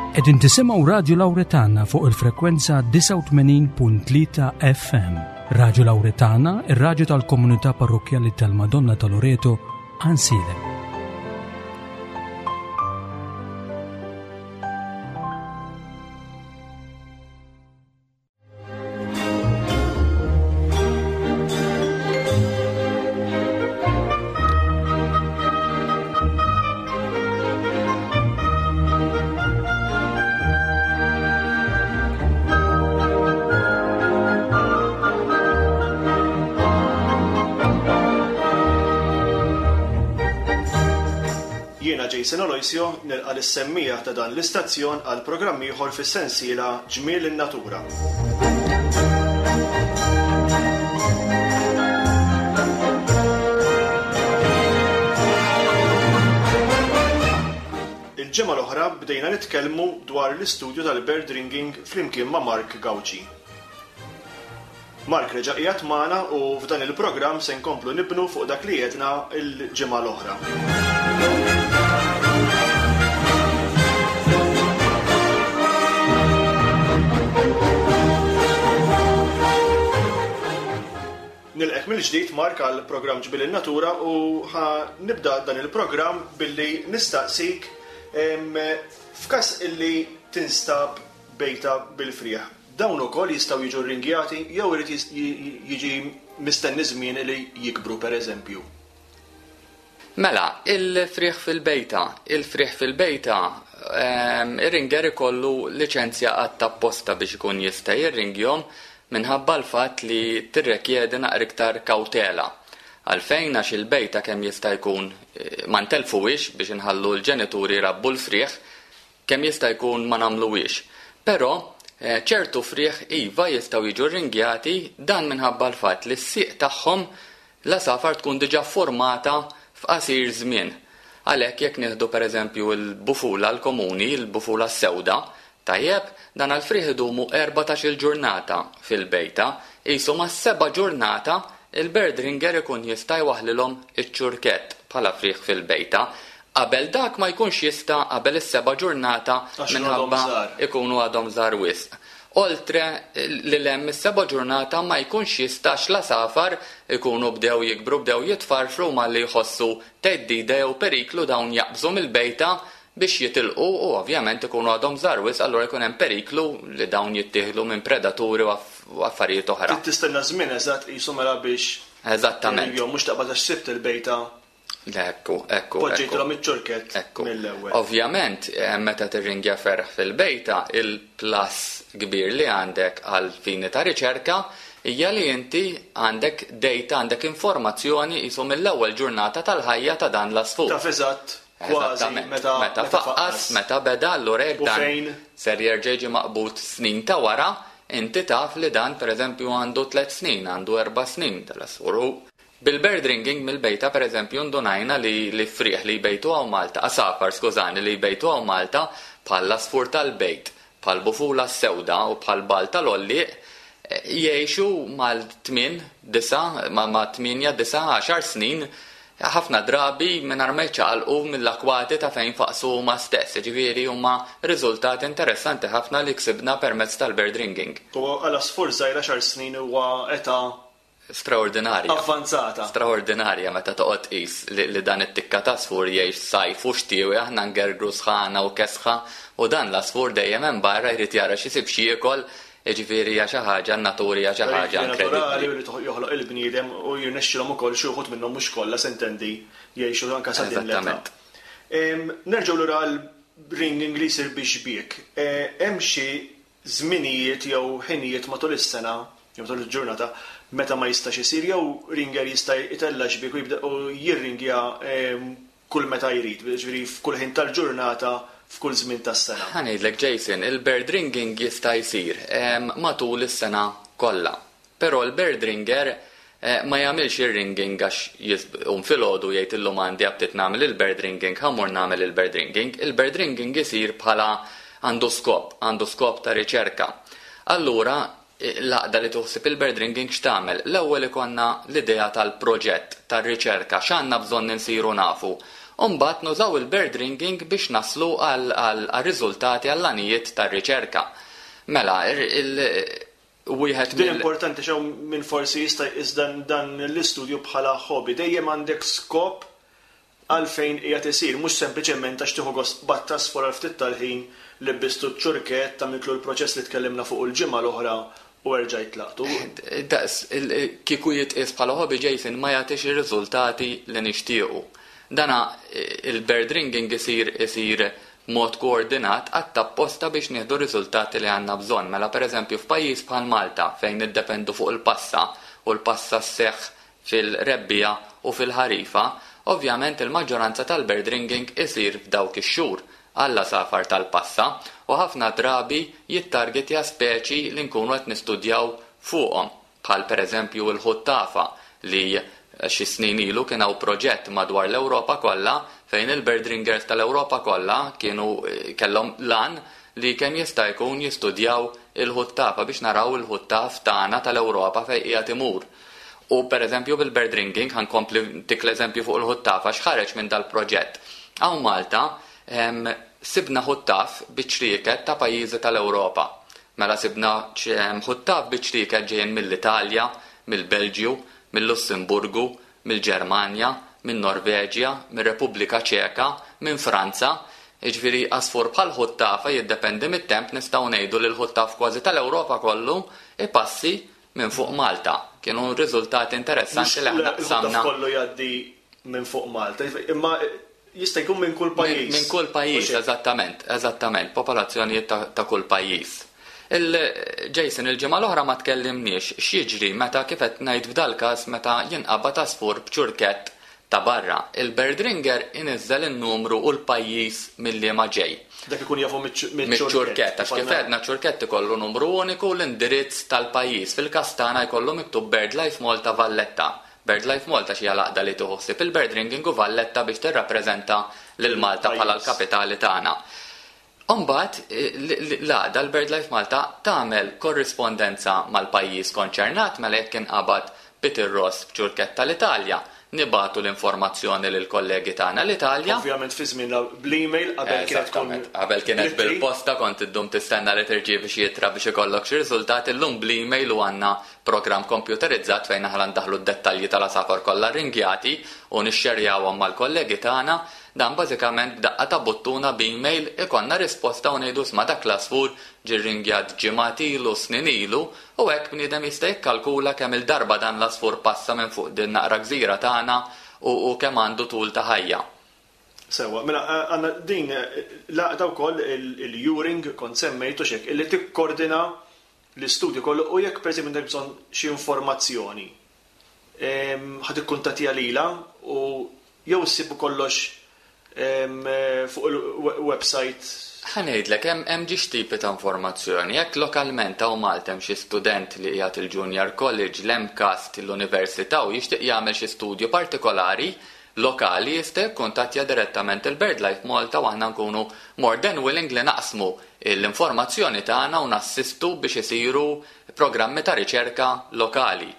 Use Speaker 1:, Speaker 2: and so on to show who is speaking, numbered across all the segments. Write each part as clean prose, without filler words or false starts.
Speaker 1: Qegħdin tisimgħu Radju Lawretana fuq il-frekwenza 89.3 FM. Radju Lawretana, ir-radju tal-komunità parrokkjali tal-Madonna ta' Loreto, Ansilem.
Speaker 2: Jiena Jason Aloisio nilqa' lis-semmiegħa ta' dan l-istazzjon għal programm ieħor fis-sensiela Ġmiel in-Natura. Il-ġimgħa l-oħra bdejna nitkellmu dwar l-istudju tal-bird ringing flimkien ma' Mark Gauci. Mark reġa' qiegħed magħna u f'dan il-programm se nkomplu nibnu fuq dak li għedna l-ġimgħa l-oħra. Nilqgħek mill-ġdid Mark għal programm Ġmiel in-Natura u ħa nibda dan il-programm billi nistaqsik f'każ illi tinstab bejta bil-frieħ. Dawn ukoll jistgħu jiġu rringjati jew irid jiġi mistenni żmien li jikbru pereżempju?
Speaker 3: Mela, il-frieħ fil-bejta. Il-frieħ fil-bejta, ir-ringer ikollu liċenzja għadd apposta biex ikun jista' jirringjhom minħabba l-fatt li tirrekjedi naqra iktar kawtela. Għalfejn? Għax il-bejta kemm jista' jkun ma ntellfuhiex biex inħallu l-ġenituri jrabbu l-frieħ, Kemm jista' jkun ma nagħmluhiex. Però, ċertu frieħ iva jistgħu jiġu rringjati, dan minħabba l-fatt li s-sieq tagħhom l-għasafar tkun diġà fformata f'qasir żmien. Għalhekk jekk nieħdu pereżempju l-bufula l-komuni, il-bufula s-sewda, tajjeb, dan għall-frieħ idumu 14-il ġurnata fil-bejta, qisu mas-seba' ġurnata il-bird ringer ikun jista' jwaħħlilhom iċ-ċurkett bħala frieħ fil-bejta. Qabel dak ma jkunx jista' qabel is-seba' ġurnata minħabba ikunu għadhom żgħar wisq. Oltre lil hemm is-seba' ġurnata ma jkunx jista' għax l-għasafar ikunu bdew jikbru bdew jitfarfru u malli jħossu theddida jew periklu dawn jaqbżu mill-bejta biex jitilqu u ovvjament ikunu għadhom żgħar wisq allura jkun hemm periklu li dawn jittieħdu minn predaturi u affarijiet oħra.
Speaker 2: Trid tistenna żmien eżatt qisu mela biex
Speaker 3: Eżattament.
Speaker 2: Jew mhux taqbad għax sibt il-bejta
Speaker 3: Ekku, ekku.
Speaker 2: Poġġejtilhom iċ-ċurkett mill-ewwel.
Speaker 3: Ovvjament, meta tirringja ferħ fil-bejta, il-plus kbir li għandek għal fini ta' riċerka hija li inti għandek data, għandek informazzjoni qisu mill-ewwel ġurnata tal-ħajja ta' dan l-għasfur.
Speaker 2: Taf eżatt kważi meta
Speaker 3: meta faqqas, meta beda, allura jekk dan ser jerġa' jiġi maqbud snin ta' wara, inti taf li dan pereżempju għandu tliet snin, għandu erba' snin tal-għasfur. U Bil-bird ringing mill-bejta pereżempju ndunajna li li frieħ li jbejtu hawn Malta, għasafar skużani, li jbejtu hawn Malta bħal l-għasfur tal-bejt, bħal bufula s-sewda u bħal bagħal tal-għollieq jgħixu mal-tmien, disa', ma' tmienja, disa', għaxar snin ħafna drabi mingħajr ma jiċċaqalqu mill-akwati ta' fejn faqsu huma stess. Jiġifieri huma riżultati interessanti ħafna li ksibna permezz tal-bird ringing.
Speaker 2: U għal għasfur żgħir għaxar snin huwa età
Speaker 3: Straordinarja.
Speaker 2: Avvanzata.
Speaker 3: Straordinarja meta toqgħod tqis li dan it-tikka t'għasfur jgħix sajf u xtiewi aħna ngergru sħana u kesħa u dan l-għasfur dejjem hemm barra jrid jara x'isib x'jiekol, jiġifieri hija xi ħaġa n-natura hija xi ħaġa
Speaker 2: inkredibbli. Naturali u li joħloq il-bniedem u jirnexxilhom ukoll xi wħud minnhom mhux kollha s'intendi jgħixu anke sa din l-età.
Speaker 3: Eżattament.
Speaker 2: Nerġgħu lura għall-ringing li jsir bix-xbiek. Hemm xi żminijiet jew ħinijiet matul is-sena jew matul il-ġurnata meta ma jistax isir jew ringer jista' jtella' xbiek u jibda u jirringja kull meta jrid, jiġifieri f'kull ħin tal-ġurnata f'kull żmien tas-sena.
Speaker 3: Ħa ngħidlek Jason, il-bird ringing jista' jsir matul is-sena kollha. Però l-bird ringer ma jagħmilx ir-ringing għax jqum filgħodu u jgħid illum għandi aptit nagħmel il-bird ringing, ħa mmur nagħmel il-bird ringing. Il-bird ringing isir bħala għandu skop, għandu skop ta' riċerka. Allura l-għaqda li tuħsib il-bird ringing x'tagħmel? L-ewwel ikollna l-idea tal-proġett, tar-riċerka, x'għandna bżonn insiru nafu. U mbagħad nużaw il-bird ringing biex naslu għal riżultati, għall-għanijiet tar-riċerka. Mela, wieħed
Speaker 2: Din importanti xew minn forsi jista' jqis dan l-istudju bħala hobby. Dejjem għandek skop għalfejn qiegħed isir, mhux sempliċement għax tieħu gost qbadt għasfur għal ftit tal-ħin li bistu ċ-ċurkett, tagħmiltlu l-proċess li tkellimna fuq il-ġimgħa l-oħra u erġajt tlaqtu.
Speaker 3: Daqs kieku jitqies bħala hobby, Jason, ma jagħtix ir-riżultati li nixtiequ. Dana il-bird ringing isir mod koordinat apposta biex nieħdu riżultati li għandna bżonn. Mela, per eżempju, f'pajjiż bħal Malta fejn niddependu fuq il-passa u l-passa sseħħ fil-rebbiegħa u fil-ħarifa, ovvjament il-maġġoranza tal-bird ringing isir f'dawk ix-xhur għall-għasafar tal-passa u ħafna drabi jittargetja speċi li nkunu qed nistudjaw fuqhom, bħal per eżempju il-ħuttafa, li xi snin ilu kien hawn proġett madwar l-Ewropa kollha fejn il-bird ringers tal-Ewropa kollha kienu kellhom lan li kemm jista' jkun jistudjaw il-ħuttafa biex naraw il-ħuttaf tagħna tal-Ewropa fejn qiegħed imur. U per eżempju bil-bird ringing, ħa nkompli dik l-eżempju fuq il-ħuttafa, x'ħareġ minn dal-proġett. Hawn Malta sibna ħuttaf biċ-ċrieket ta' pajjiżi tal-Ewropa. Mela sibna ħuttaf biċ-ċrieket ġejjin mill-Italja, mill-Belġju, mill-Lussemburgu, mill-Ġermanja, minn Norveġja, mir-Repubblika Ċeka, minn Franza. Jiġifieri għasfur bħal ħuttafa jiddependi mit-temp, nistgħu ngħidu li l-ħuttaf kważi tal-Ewropa kollu ipassi minn fuq Malta. Kienu riżultati interessanti li aħna
Speaker 2: qsamna. Kollu jgħaddi minn fuq Malta, imma jista' jkun minn kull pajjiż.
Speaker 3: Minn kull pajjiż, eżattament, popolazzjonijiet ta' kull pajjiż. Il-Jason, il-ġimgħa l-oħra ma tkellimniex x'jiġri meta, kif qed ngħid f'dal każ, meta jinqabad għasfur b'ċurkett ta' barra. Il-bird ringer iniżżel in-numru u l-pajjiż milli ma ġej.
Speaker 2: Dak ikun jafu
Speaker 3: miċ-ċurkett, għax kif għedna ċurkett ikollu numru uniku, l-indirizz tal-pajjiż. Fil-każ tagħna jkollu miktub BirdLife Malta Valletta. BirdLife Malta xi għaqda li tieħu ħsieb il-bird ringing u Valletta biex tirrappreżenta lil Malta bħala l-kapitali tagħna. Umbagħad, l-għaqda l-BirdLife Malta tagħmel korrispondenza mal-pajjiż konċernat. Mela jekk inqabad pitirross b'ċurkett tal-Italja, nibagħtu l-informazzjoni lil kollegi tagħna l-Italja.
Speaker 2: Ovvjament fi żmien bl-email, qabel kienet tkun
Speaker 3: Qabel kienet bil-posta, kont iddum tistenna li tirċievi xi ittra biex ikollok xi riżultat. Illum bl-email u għandna programm komputerizzat fejn aħna ndaħlu d-dettalji tal-għasafar kollha ringjati u nixxerjawhom mal-kollegi tagħna. Dan bażikament b'daqqa ta' buttuna b'email ikollna risposta u ngħidu, "Isma', dak l-għasfur ġie ringjat ġimgħat ilu, snin ilu," u hekk bniedem jista' jikkalkula kemm il-darba dan l-għasfur passa minn fuq din naqra gżira tagħna u kemm għandu tul ta' ħajja.
Speaker 2: Sewa, mela għandna din l-għaqda wkoll, il-EURING, kont semmejtu xek, illi tikkordina l-istudju kollu, u jekk per eżempju għandek bżonn xi informazzjoni, ħa tikkuntattja lila u jew issibu kollox fuq il-website?
Speaker 3: Ħa ngħidlek, hemm żewġ tipi ta' informazzjoni. Jekk lokalment hawn Malta hemm xi student li qiegħed il-Junior College, l-MCAST, l-Università u jixtieq jagħmel xi studju partikolari lokali, jista' jikkuntattja direttament il-BirdLife Malta u aħna nkunu more than willing li naqsmu l-informazzjoni tagħna u nassistu biex isiru programmi ta' riċerka lokali.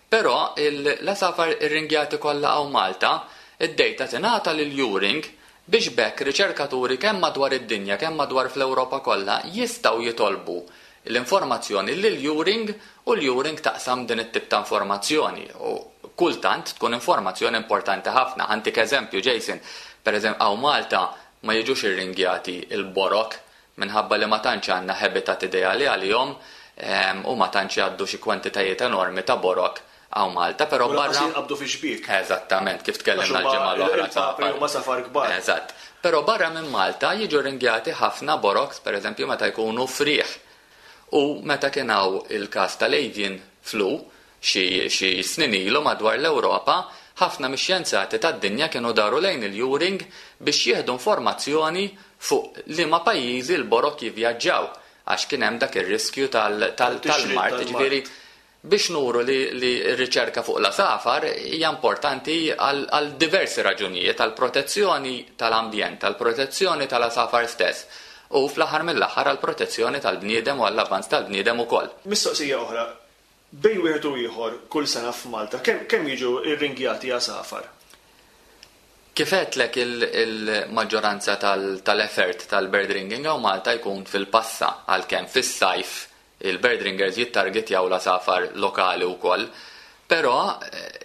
Speaker 3: Però l-għasafar irringjati kollha hawn Malta, id-data tingħata lil EURING biex b'hekk riċerkaturi kemm madwar id-dinja, kemm madwar fl-Ewropa kollha jistgħu jitolbu l-informazzjoni lil EURING u l-EURING taqsam din it-tip ta' informazzjoni. U kultant tkun informazzjoni importanti ħafna. Ħa ntik eżempju, Jason, per eżempju, hawn Malta ma jiġux irringjati il-borok minħabba li ma tantx għandna habitat ideali għalihom u ma tantx jgħaddu xi kwantitajiet enormi ta' borok hawn Malta, però barra.
Speaker 2: Qabdu fi xbiek.
Speaker 3: Eżattament, kif tkellimna l-ġimgħa
Speaker 2: l-oħra. Il-papri għasafar kbar.
Speaker 3: Eżatt. Però barra minn Malta jiġu ringjati ħafna boroks, per eżempju meta jkunu friħ. U meta kien hawn il-każ tal-avian flu xi snin ilu madwar l-Ewropa, ħafna mix-xjenzati tad-dinja kienu daru lejn il-EURING biex jieħdu informazzjoni fuq liema pajjiżi l-borok jivvjaġġaw għax kien hemm dak ir-riskju tal-mard. Ġifieri biex nuru li r-riċerka fuq l-għasafar hija importanti għal diversi raġunijiet, għal protezzjoni tal-ambjent, għal protezzjoni tal-għasafar stess u fl-aħħar mill-aħħar għal protezzjoni tal-bniedem u għall-avanz tal-bniedem ukoll.
Speaker 2: Mistoqsija oħra, bejn wieħed u ieħor kull sena f'Malta, kemm jiġu irringjati għasafar?
Speaker 3: Kif għedtlek, il-maġġoranza tal-effort tal-bird ringing hawn Malta jkun fil-passa, għalkemm fis-sajf il-bird ringers jittargetjaw l-għasafar lokali wkoll. Però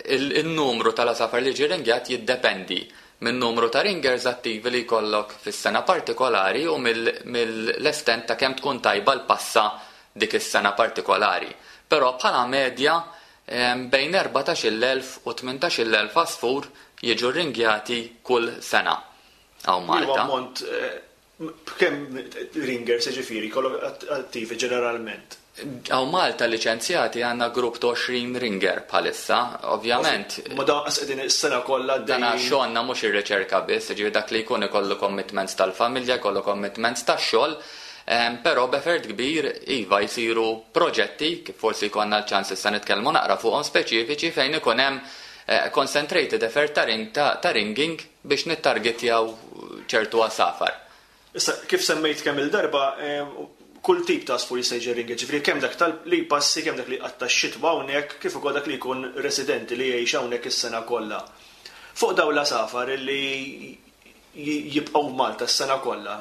Speaker 3: il-numru tal-għasafar li jiġi ringjat jiddependi min-numru ta' ringers attivi li jkollok fis-sena partikolari u mill-estent ta' kemm tkun tajba l-passa dik is-sena partikolari. Però bħala medja bejn 14,000 u 18,000 għasfur jiġu rringjati kull sena hawn Malta.
Speaker 2: Huwa ammont b'kemm ringers jiġifieri jkollok attivi ġeneralment?
Speaker 3: Hawn Malta liċenzjati għandna grupp ta' 20 ringer bħalissa, ovvjament.
Speaker 2: Ma dawn qas qegħdin is-sena kollha għaddejjin.
Speaker 3: Dana xogħolna mhux ir-riċerka biss, jiġifieri dak li jkun ikollu commitments tal-familja, jkollu commitments tax-xogħol, Però b'effort kbir, iva, jsiru proġetti, kif forsi jkollna l-ċans issa nitkellmu naqra fuqhom speċifiċi, fejn ikun hemm concentrated effort ta' ring ta' ringing biex nittargetjaw ċertu għasafar.
Speaker 2: Issa, kif semmejt kemm-il darba, kull tip ta' għasfur jista' jiġi ringed, ġifieri kemm dak tal li jpassi, kemm dak li jqatta' x-xitwa hawnhekk, kif ukoll dak li jkun residenti li jgħix hawnhekk is-sena kollha. Fuq dawn l-għasafar li jibqgħu f'Malta s-sena kollha.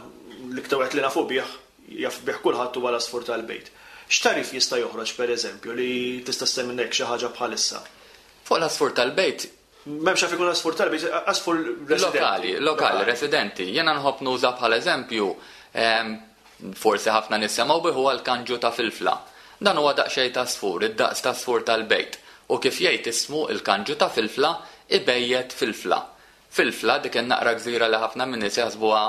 Speaker 2: L-iktar wieħed li nafu bih, jaf bih kulħadd huwa l-għasfur tal-bejt. X'tagħrif jista' joħroġ pereżempju li tista' ssemmilna hekk xi ħaġa bħalissa?
Speaker 3: Fuq l-għasfur tal-bejt.
Speaker 2: M'hemmx għalfejn ikun għasfur tal-bejt, għasfur residenti.
Speaker 3: Lokali, lokali, residenti. Jiena nħobb nuża bħala eżempju, forsi ħafna nies semgħu bih, huwa l-kanġu ta' filfla. Dan huwa daqsxejn ta' għasfur, id-daqs ta' għasfur tal-bejt. U kif jgħid ismu, il-kanġu ta' filfla, ibejjet filfla. Filfla, dik in-naqra gżira li ħafna min-nies jaħsbuha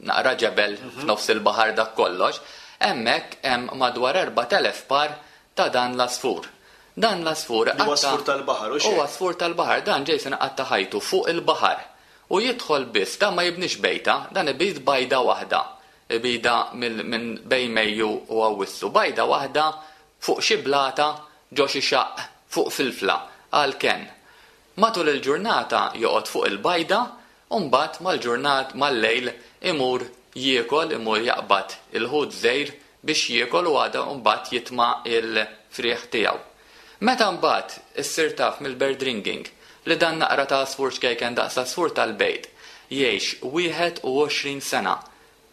Speaker 3: naqra ġebel f'nofs il-baħar dak kollox, hemmhekk hemm madwar 4,000 par ta' dan l-għasfur. Dan l-għasfur
Speaker 2: iqatta'. Huwa għasfur tal-baħar, hux
Speaker 3: hekk? Huwa għasfur tal-baħar. Dan Jason iqatta' ħajtu fuq il-baħar. U jidħol biss, dan ma jibnix bejta, dan ibid bajda waħda. Ibidha minn bejn Mejju u Awwissu. Bajda waħda fuq xi blata ġo xi xaqq fuq filfla, għall-kenn. Matul il-ġurnata joqgħod fuq il-bajda u mbagħad mal-ġurnat mal-lejl imur jiekol, imur jaqbad il-ħut żgħir biex jiekol u għada mbagħad jitma' l-frieħ tiegħu. Meta mbagħad issir taf mill-bird ringing li dan naqra ta' għasfur ċkejken daqs għasfur tal-bejt jgħix 21 sena,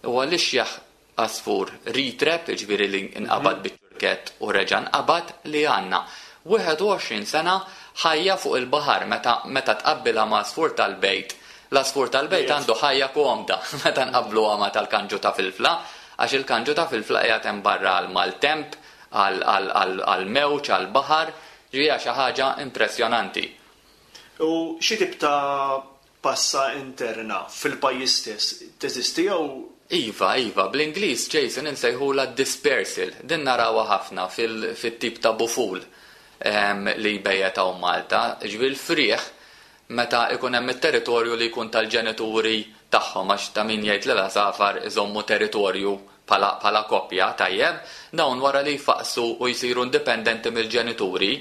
Speaker 3: huwa l-ixjaħ Għasfur retrap, jiġifieri li nqabad biċ-ċurkett u reġa' nqabad, li għandna. 21 sena ħajja fuq il-baħar meta meta tqabbilha ma' għasfur tal-bejt. L-għasfur tal-bejt għandu ħajja komda meta nqabbluha ma' tal-kanġu ta' filfla, għax il-kanġu ta' filfla qiegħed hemm barra għall-maltemp, għall-mewġ, għall-baħar, ġifieri hija xi ħaġa impressjonanti.
Speaker 2: U xi tip ta' Passa interna fil-pajjiż stess teżisti jew?
Speaker 3: Iva, iva, bl-Ingliż, Jason, insejħulha dispersal. Din narawha ħafna fil-tip ta' buful li jbejjet hawn Malta. Jiġifieri l-frieħ meta ikun hemm it-territorju li jkun tal-ġenituri tagħhom, għax ta' min jgħid li l-għasafar iżommu territorju bħala bħala koppja, tajjeb, dawn wara li jfaqqsu u jsiru indipendenti mill-ġenituri,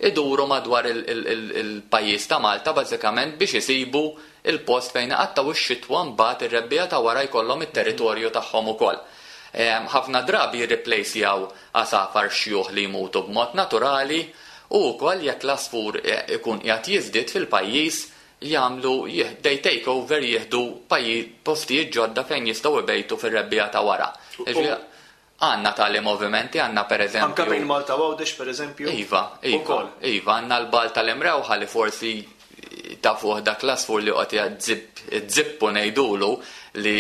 Speaker 3: iduru madwar il-pajjiż ta' Malta bażikament biex isibu l-post fejn iqattgħu x-xitwa mbagħad ir-rebbiegħa ta' wara jkollhom it-territorju tagħhom ukoll. Ħafna drabi jirriplejsjaw għasafar xjuħ li jmutu b'mod naturali u wkoll jekk l-għasfur ikun qiegħed jiżdied fil-pajjiż jagħmlu, they take over, jieħdu postijiet ġodda fejn jistgħu ibejtu fir-rebbiegħa ta' wara. Jiġifieri għandna tali movimenti, għandna pereżempju.
Speaker 2: Anke bejn Malta u Għawdex pereżempju?
Speaker 3: Iva, iva, iva, għandna l-bagħal tal-Imrewħa li forsi tafuh dak l-għasfur li joqgħod izzippu ngħidulu li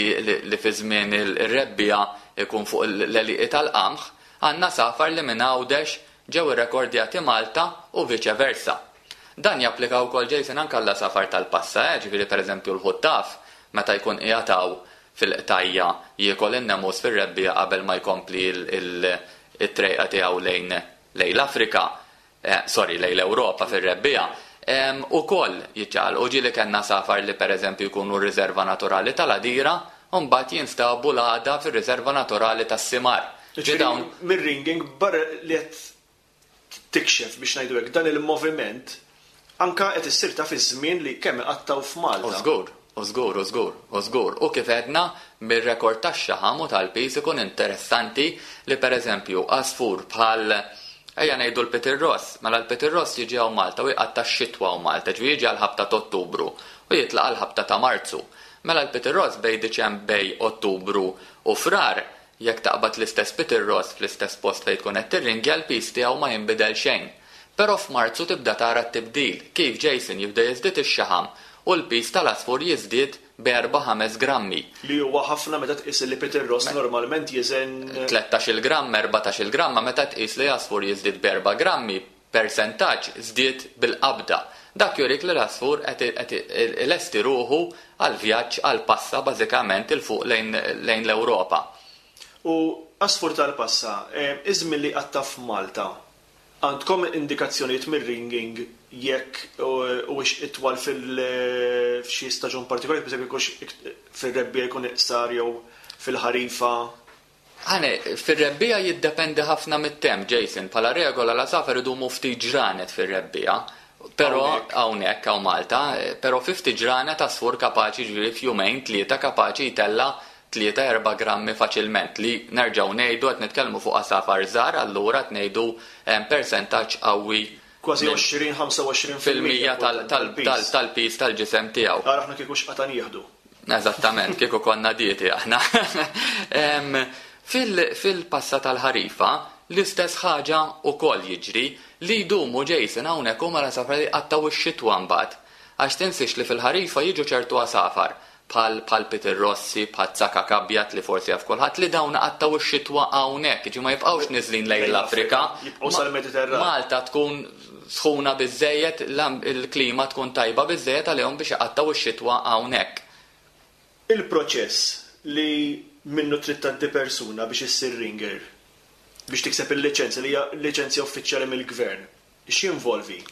Speaker 3: li fi żmien ir-rebbiegħa jkun fuq l-għelieqi tal-qamħ, għandna għasafar li minn Għawdex ġew irrekordjati Malta u viċe versa. Dan japplika wkoll Jason anke għall-għasafar tal-passa, eh, ġifieri pereżempju l-ħuttaf meta jkun qiegħed hawn fil-qtajja jiekol in-nemus fir-rebbiegħa qabel ma jkompli t-trejqa tiegħu lejn lejn l-Afrika, eh, sorry, lejn l-Ewropa fir-rebbiegħa, ukoll jiċċaqalqu. Ġieli kellna għasafar li pereżempju jkunu r-riserva naturali tal-Għadira u mbagħad jinstabu l-għada fir-riserva naturali tas-Simar.
Speaker 2: Ġifieri mir-ringing barra li qed tikxef, biex ngħidu hekk, dan il-moviment anke qed issir taf iż-żmien li kemm iqattgħu f'Malta.
Speaker 3: U żgur, u żgur, u żgur, u żgur. U kif għedna, mir-rekord tax-xaħam u tal-piż ikun interessanti li pereżempju għasfur bħal, ejja ngħidu l-Pitirross, mela l-Pitirross jiġi hawn Malta u jqatta' x-xitwa hawn Malta, ġifieri jiġi għall-ħabta t'Ottubru. u jitlaq għall-ħabta ta' Marzu. Mela l-pitirross bejn Diċem bejn Ottubru u Frar, jekk taqbad l-istess pitirross fl-istess post fejn tkun qed tirringja l-piż tiegħu ma jinbidel xejn. Però f'Marzu tibda tara t-tibdil, kif Jason jibda jiżdied ix-xaħam u l-piż tal-għasfur jiżdied b'erba' ħames grammi.
Speaker 2: Li huwa ħafna meta tqis li pitirross normalment jiżen.
Speaker 3: Tlettax-il gramm, 14-il gramma, meta tqis li għasfur jiżdied b'erba' grammi, persentaġġ żdied bil-qabda. Dak jurik li l-għasfur qed qed ilesti ruħu għall-vjaġġ għall-passa bażikament 'il fuq lejn lejn l-Ewropa.
Speaker 2: U għasfur tal-passa, iż-żmien li jqatta' f'Malta, għandkom indikazzjonijiet mir-ringing jekk huwiex itwal fil f'xi staġun partikolari, pereżempju jekk hux fir-rebbiegħa jkun iqsar jew fil-ħarifa?
Speaker 3: Ħane, fir-rebbiegħa jiddependi ħafna mit-temp, Jason. Bħala regola l-għasafar idumu ftit ġranet fir-rebbiegħa. Però hawnhekk hawn Malta, però fi ftit ġranet għasfur kapaċi jiġifieri f'jumejn tlieta kapaċi jtella' tlieta erba' grammi faċilment li nerġgħu ngħidu qed nitkellmu fuq għasafar żgħar allura qed ngħidu persentaġġ qawwi
Speaker 2: Kważi 20, 25
Speaker 3: fil-mija tal-piż tal-ġisem tiegħu.
Speaker 2: Ara aħna kieku x'qata' nieħdu.
Speaker 3: Eżattament, kieku konna dieti aħna. Fil-passa tal-ħarifa, l-istess ħaġa wkoll jiġri li jdumu Jason hawnhekk huma l-għasafar li jqattgħu x-xitwa mbagħad. Għax tinsiex li fil-ħarifa jiġu ċertu għasafar bħal bħal Peter Rossi, bħal Tsakak Abjad li forsi jaf kulħadd li dawn iqattgħu x-xitwa hawnhekk, jiġifieri ma jibqgħux niżlin lejn l-Afrika.
Speaker 2: Jibqgħu sal-Mediterran.
Speaker 3: Malta tkun sħuna biżżejjed, il-klima tkun tajba biżżejjed għalihom biex iqattgħu x-xitwa hawnhekk.
Speaker 2: Il-proċess li minnu trid tgħaddi persuna biex issir ringer, biex tikseb il-liċenzja li hija liċenzja uffiċjali mill-Gvern, x'jinvolvi?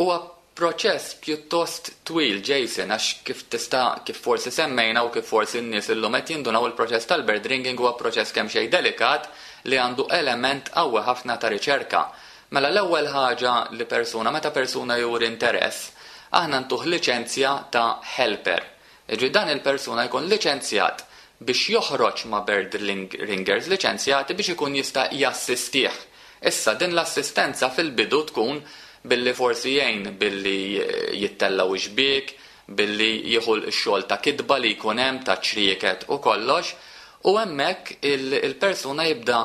Speaker 3: Huwa proċess pjuttost twil, Jason, għax kif tista' kif forsi semmejna u kif forsi n-nies illum qed jindunaw il-proċess tal-bird ringing huwa proċess kemxejn delikat li għandu element qawwi ħafna ta' riċerka. Mela l-ewwel ħaġa li persuna meta persuna juri interess, aħna ntuh liċenzja ta' helper. Jiġifieri dan il-persuna jkun liċenzjat biex joħroġ ma' bird ringers liċenzjati biex ikun jista' jassistih. Issa, din l-assistenza fil-bidu tkun billi forsi jgħin billi jittellgħu x-xbiek, billi jieħu x-xogħol ta' kitba li jkun hemm, ta' ċrieket u kollox, u hemmhekk il-persuna jibda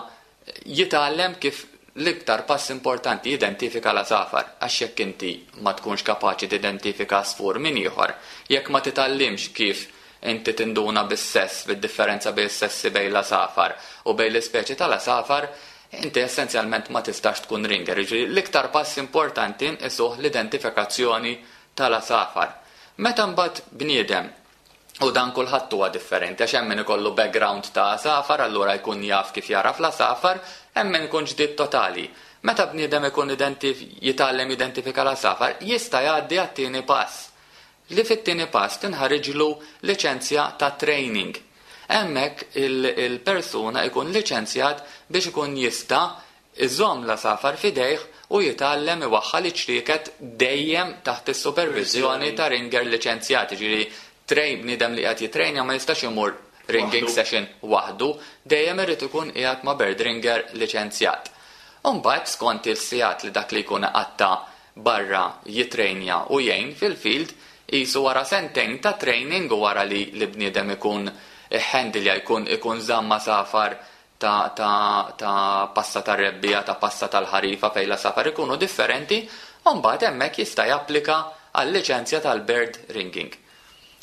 Speaker 3: jitgħallem kif l-iktar pass importanti jidentifika l-għasafar, għax jekk inti ma tkunx kapaċi tidentifika għasfur minn ieħor, jekk ma titgħallimx kif inti tinduna bis-sess, bid-differenza bejn is-sessi bejn l-għasafar u bejn l-ispeċi tal-għasafar, inti essenzjalment ma tistax tkun ringer. Jiġifieri l-iktar pass importanti nqisuh l-identifikazzjoni tal-għasafar. Meta mbagħad bniedem, u dan kulħadd huwa differenti għax hemm min ikollu background ta' għasafar allura jkun jaf kif jagħraf l-għasafar, hemm min ikun ġdid totali. Meta bniedem ikun jitgħallem jidentifika l-għasafar, jista' jgħaddi għat-tieni pass. Li fit-tieni pass tinħariġlu liċenzja ta' training. Hemmhekk il-persuna jkun liċenzjat biex ikun jista' iżomm l-għasafar f'idejh u jitgħallem iwaħħal iċ-ċrieket dejjem taħt is-superviżjoni ta' ringer liċenzjat. Jiġifieri train bniedem li qiegħed jittrejnja ma jistax imur ringing session waħdu, dejjem irid ikun qiegħed ma' bird ringer liċenzjat. U mbagħad skont il-sigħat li dak li jkun iqatta' barra jittrejnja u jgħin fil-field, qisu wara sentejn ta' training u wara li l-bniedem ikun iħħendilja jkun ikun żamm għasafar ta' ta' ta' passa tar-rebbiegħa, ta' passa tal-ħarifa fejn l-għasafar ikunu differenti, u mbagħad hemmhekk jista' japplika għal-liċenzja tal-bird ringing.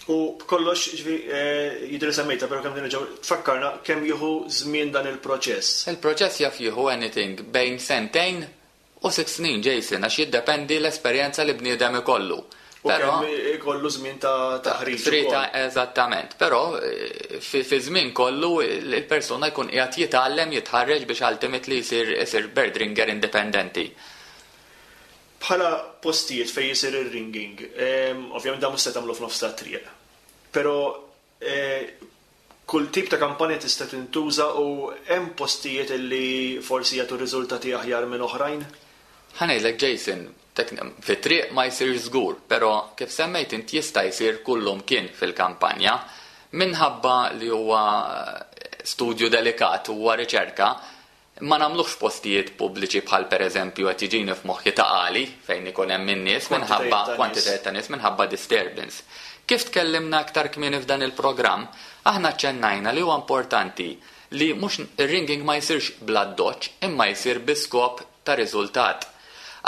Speaker 2: U b'kollox, jiġifieri, jidher li semmejtha, però kemm nerġgħu tfakkarna kemm jieħu żmien dan il-proċess?
Speaker 3: Il-proċess jaf jieħu anything bejn sentejn u sitt snin, Jason, għax jiddependi l-esperjenza li bniedem ikollu.
Speaker 2: U kemm ikollu żmien ta' taħriġ ukoll.
Speaker 3: Eżattament. Però fi żmien kollu il-persuna jkun qiegħed jitgħallem, jitħarreġ biex ultimately jsir isir bird ringer indipendenti.
Speaker 2: Bħala postijiet fejn isir ir-ringing, ovvjament dan mhux se tagħmlu f'nofs tat-triq. Però Kull tip ta' kampanja tista' tintuża u hemm postijiet li forsi jagħtu riżultati aħjar minn oħrajn?
Speaker 3: Ħa ngħidlek Jason, fit-triq ma jsirx żgur, però kif semmejt int jista' jsir kullumkien fil-kampanja. Minħabba li huwa studju delikat, huwa riċerka, Ma nagħmluhx f'postijiet pubbliċi bħal pereżempju qed jiġini f'moħħi Ta' Qali fejn ikun hemm in-nies minħabba kwantitajiet ta' nies minħabba disturbance. Kif tkellimna iktar kmieni f'dan il-programm, aħna aċċennajna li huwa importanti li mhux ir-ringing ma jsirx bl-addoċċ imma jsir bi skop ta' riżultat.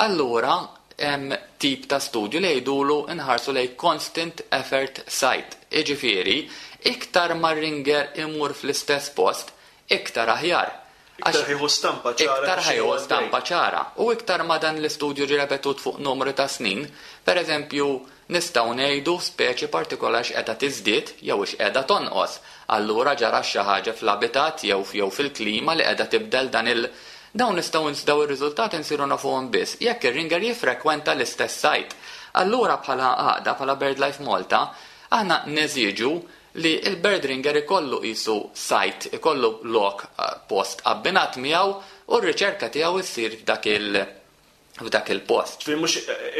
Speaker 3: Allura hemm tip ta' studju li jgħidulu nħarsu lejn constant effort site, jiġifieri iktar ma r-ringer imur fl-istess post, iktar aħjar.
Speaker 2: Iktar ħa jieħu stampa ċara.
Speaker 3: Iktar ħa jieħu stampa ċara. U iktar ma dan l-istudju ġie repetut fuq numru ta' snin, per eżempju, nistgħu ngħidu speċi partikolari x'qiegħda tiżdied jew x'qiegħda tonqos. Allura ġara xi ħaġa fl-abitat jew jew fil-klima li qiegħda tibdel dan il Dawn nistgħu daw ir-riżultati nsiru nafuhom biss jekk ir-ringer jiffrekwenta l-istess site. Allura bħala għaqda, bħala BirdLife Malta, aħna neżiġu li l-bird ringer ikollu qisu site, ikollu lok, post abbinat miegħu u r-riċerka tiegħu ssir f'dak il f'dak il-post.
Speaker 2: Ġifieri mhux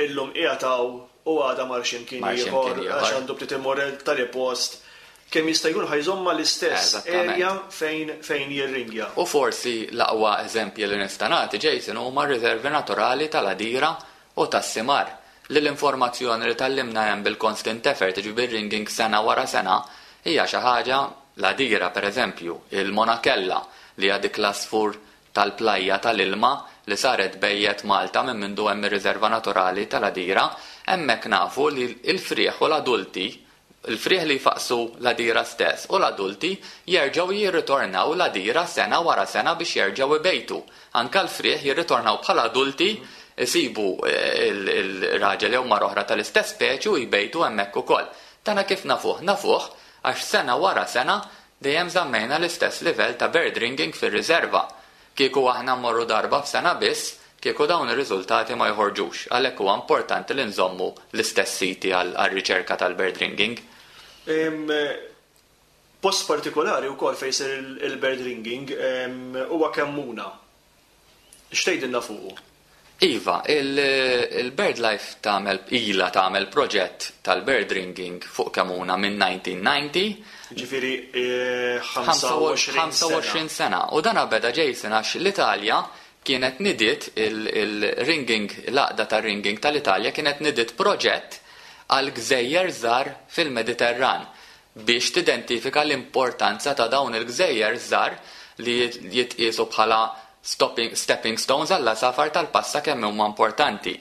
Speaker 2: illum qiegħed hawn u għada mar xi mkien ieħor għax għandu bdiet imur tali post. Kemm jista' jkun ħa jżomm mal-istess area fejn fejn jirringja.
Speaker 3: U forsi l-aqwa eżempji li nista' nagħti, Jason, huma r-riservi naturali tal-Għadira u tas-Simar, li l-informazzjoni li tgħallimna hemm bil-constant effort, jiġifieri bir-ringing sena wara sena, hija xi ħaġa, l-għadira pereżempju, il-monakella, li hija dik l-għasfur tal-plajja tal-ilma li saret bejjet Malta minn mindu hemm ir-riserva naturali tal-għadira, hemmhekk nafu li l-frieħ u l-adulti Il-frieħ li jfaqqsu l-għadira stess u l-adulti jerġgħu jirritornaw l-għadira sena wara sena biex jerġgħu jbejtu. Anke l-frieħ jirritornaw bħala adulti, isibu l-raġel jew mara oħra tal-istess speċi u jbejtu hemmhekk ukoll. Dana kif nafuh? Nafuh għax sena wara sena dejjem żammejna l-istess livell ta' bird ringing fir-riserva. Kieku aħna mmorru darba f'sena biss, kieku dawn ir-riżultati ma joħorġux. Għalhekk huwa importanti li nżommu l-istess siti għar-riċerka tal-bird ringing.
Speaker 2: Post partikolari wkoll fejn isir il-bird ringing huwa Kemmuna. X'tgħidilna fuqu?
Speaker 3: Iva, il-BirdLife tagħmel ilha tagħmel proġett tal-bird ringing fuq Kemmuna minn 1990.
Speaker 2: Jiġifieri 25 sena.
Speaker 3: 25 sena. U dan beda Jason għax l-Italja kienet nidiet il-ringing, l-għaqda tar-ringing tal-Italja kienet nidiet proġett għal gżejjer żgħar fil-Mediterran biex tidentifika l-importanza ta' dawn il-gżejjer żgħar li jitqiesu bħala stopping, stepping stones għall-għasafar tal-passa kemm huma importanti.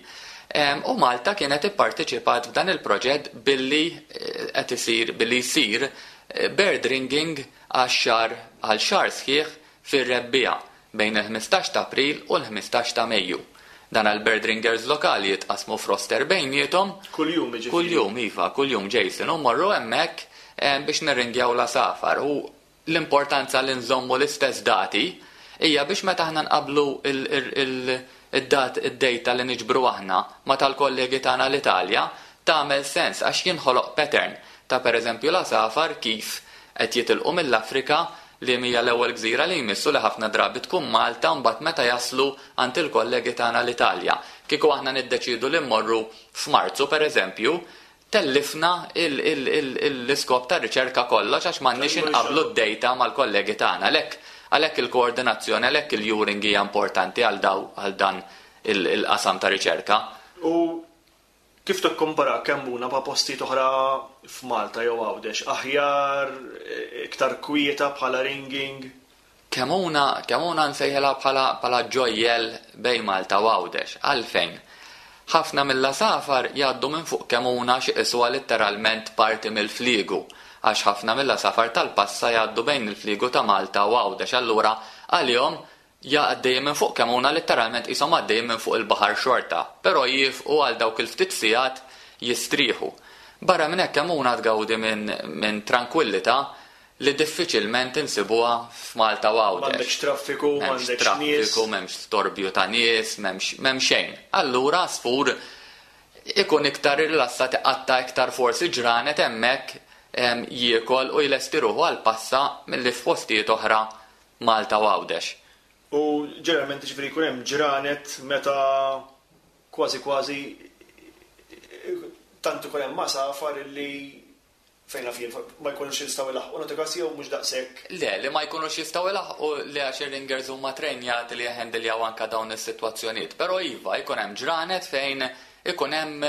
Speaker 3: U Malta kienet ipparteċipat f'dan il-proġett billi eh, qed isir billi jsir eh, bird ringing għax-xahar għal xahar sħiħ fir-rebbiegħa bejn il-15 ta' April u l-15 ta' Mejju. Dan għal-bird ringers lokali jitqasmu f'roster bejniethom.
Speaker 2: Kuljum jiġifieri.
Speaker 3: Kuljum, iva, kuljum Jason, u morru hemmhekk eh, biex nirringjaw l-għasafar. U l-importanza li nżommu l-istess dati hija biex meta aħna nqablu id-dat id-data li niġbru aħna ma tal-kollegi tagħna l-Italja tagħmel sens għax jinħoloq pattern ta' pereżempju l-għasafar kif qed jitilqu mill-Afrika li hija l-ewwel gżira li jmissu li ħafna drabi tkun Malta mbagħad meta jaslu għand il-kollegi tagħna l-Italja. Kieku aħna niddeċidu li mmorru f'Marzu pereżempju, tellifna l-iskop ta' riċerka kollox għax m'għandniex inqablu d-data mal-kollegi tagħna. Għalhekk għalhekk il-koordinazzjoni, għalhekk il-EURING hija importanti għal daw għal dan il-qasam ta' riċerka.
Speaker 2: U kif tikkompara Kemmuna ma' postijiet oħra f'Malta jew Għawdex? Aħjar, iktar kwieta bħala ringing?
Speaker 3: Kemmuna, Kemmuna nsejħilha bħala bħala ġojjel bejn Malta u Għawdex. Għalfejn? Ħafna mill-għasafar jgħaddu minn fuq Kemmuna xi qisuha letteralment parti mill-fliegu għax ħafna mill-għasafar tal-passa jgħaddu bejn il-fliegu ta' Malta u Għawdex. Allura għalihom għaddejjin minn fuq Kemmuna letteralment qishom għaddejjin minn fuq il-baħar xorta, però jifqu għal dawk il-ftit sigħat jistrieħu. Barra minn hekk Kemmuna tgawdi minn min tranquillità li diffiċilment insibuha f'Malta u Għawdex.
Speaker 2: M'għandekx traffiku,
Speaker 3: m'għandekx traffiku, m'hemmx storbju ta' nies, m'hemmx m'hemm xejn. Allura għasfur ikun iktar rilassat iqatta' iktar forsi ġranet hemmhekk jiekol u jlesti ruħu għal passa milli f'postijiet oħra Malta u Għawdex.
Speaker 2: U ġeneralment ġifieri jkun hemm ġranet meta kważi kważi tant ikun hemm għasafar illi. Fejn naf jien, ma jkunux jistgħu jlaħħqu nagħti każ jew mhux daqshekk?
Speaker 3: Le, li ma jkunux jistgħu jlaħħqu le għax ir-ringers huma trejnjati li jeħendiljaw anke dawn is-sitwazzjonijiet. Però iva, jkun hemm ġranet fejn ikun hemm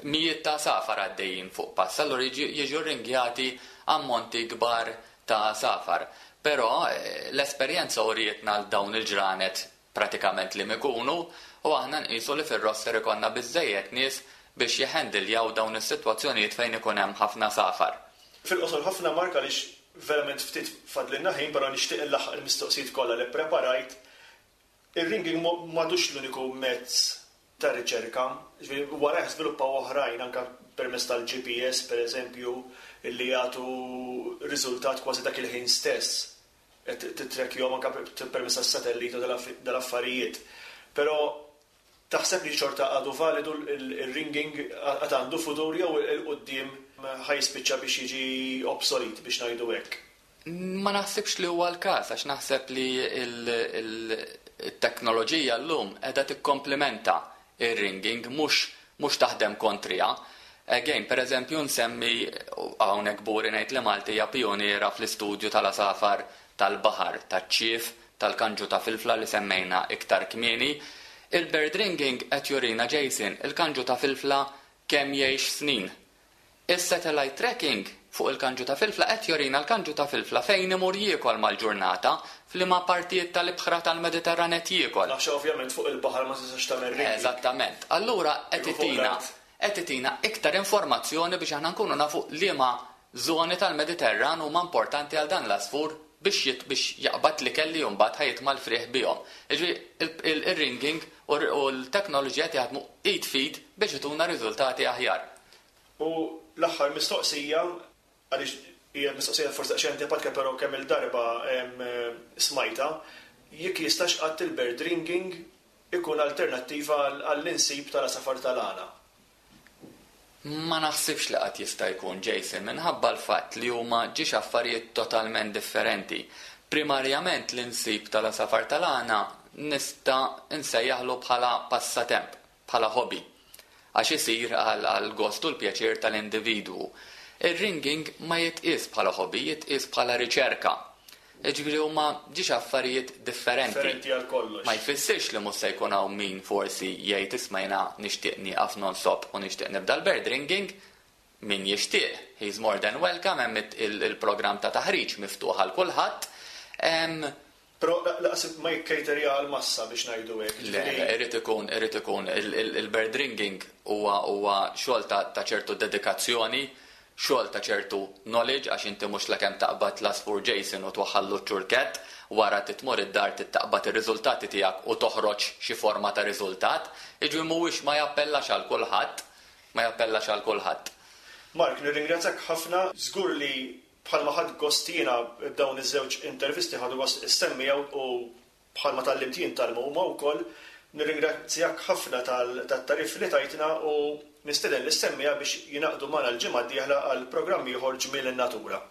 Speaker 3: mijiet ta' għasafar għaddejjin fuq pass, allura jiġu rringjati ammonti kbar ta' għasafar. Però l-esperjenza urietna dawn il-ġranet pratikament liem ikunu u aħna nqisu li fir-roster ikollna biżżejjed nies biex jeħendiljaw dawn is-sitwazzjonijiet fejn ikun hemm ħafna għasafar.
Speaker 2: Fil-qosor ħafna Mark għaliex verament ftit fadlilna ħin però nixtieq inlaħħaq il-mistoqsijiet kollha li ppreparajt. Ir-ringing m'għadux l-uniku mezz ta' riċerka, jiġifieri warajh żviluppaw oħrajn anke permezz tal-GPS pereżempju li jagħtu riżultat kważi dak il-ħin stess. Qed tittrekkjahom anke permezz tas-satellita u dal-affarijiet. Però taħseb li xorta għadu validu l-ringing għad għandu futur jew 'il quddiem ħa jispiċċa biex jiġi obsolete biex ngħidu hekk?
Speaker 3: Ma naħsibx li huwa l-każ għax naħseb li t-teknoloġija llum qiegħda tikkomplimenta r-ringing mhux mhux taħdem kontriha. Again, per eżempju nsemmi, hawnhekk kburi ngħid li Malta hija pijuniera fl-istudju tal-għasafar tal-baħar, taċ-ċief, tal-kanġu ta' filfla li semmejna iktar kmieni. Il-bird ringing qed jurina, Jason, il-kanġu ta' filfla kemm jgħix snin. Is-satellite tracking fuq il-kanġu ta' filfla qed jurina l-kanġu ta' filfla fejn imur jiekol mal-ġurnata, f'liema partijiet tal-ibħra tal-Mediterran qed jiekol.
Speaker 2: Għax ovvjament fuq il-baħar ma tistax tagħmel ringing.
Speaker 3: Eżattament. Allura qed itina qed itina iktar informazzjoni biex aħna nkunu nafu liema żoni tal-Mediterran huma importanti għal dan l-għasfur biex jit biex jaqbad l-ikel li mbagħad ħa jitma' l-frieħ bihom. Jiġifieri ir-ringing u l-teknoloġija qed jaħdmu id f'id biex ituna riżultati aħjar.
Speaker 2: U l-aħħar mistoqsija, għaliex hija mistoqsija forsi daqsxejn antipatika però kemm-il darba smajtha, jekk jistax qatt il-bird ringing ikun alternattiva għall-insib tal-għasafar tal-għana?
Speaker 3: Ma naħsibx li qatt jista' jkun, Jason, minħabba l-fatt li huma ġiex affarijiet totalment differenti. Primarjament l-insib tal-għasafar tal-għana nista' nsejjaħlu bħala passatemp, bħala hobby, għax isir għall-gost u l-pjaċir tal-individwu. Ir-ringing ma jitqies bħala hobby, jitqies bħala riċerka. Jiġifieri huma ġiex affarijiet differenti.
Speaker 2: Differenti għal kollox.
Speaker 3: Ma jfissirx li mhux se jkun hawn min forsi jgħid isma' jiena nixtieq nieqaf non-stop u nixtieq nibda l-bird ringing. Min jixtieq, he's more than welcome, hemm il-programm ta' taħriġ miftuħ għal kulħadd.
Speaker 2: Però laqas ma jikkejterja għall-massa biex ngħidu hekk,
Speaker 3: Le, le, irid ikun, irid ikun, il-bird ringing huwa huwa xogħol ta' ta' ċertu dedikazzjoni, xogħol ta' ċertu knowledge għax inti mhux lakemm taqbad l-għasfur Jason u twaħħallu ċ-ċurkett, wara trid tmur id-dar trid taqbad ir-riżultati tiegħek u toħroġ xi forma ta' riżultat. Jiġifieri mhuwiex ma jappellax għal kulħadd, ma jappellax għal kulħadd.
Speaker 2: Mark, nirringrazzjak ħafna, żgur li Bħalma ħadt gost jiena b'dawn iż-żewġ intervisti ħadu gost is-semmiegħa u bħalma tgħallimt jien tgħallmu huma wkoll. Nirringrazzjak ħafna tat-tagħrif li tajtna u nistieden lis-semmiegħa biex jingħaqdu magħna l-ġimgħa d-dieħla għal programm ieħor Ġmiel in-Natura.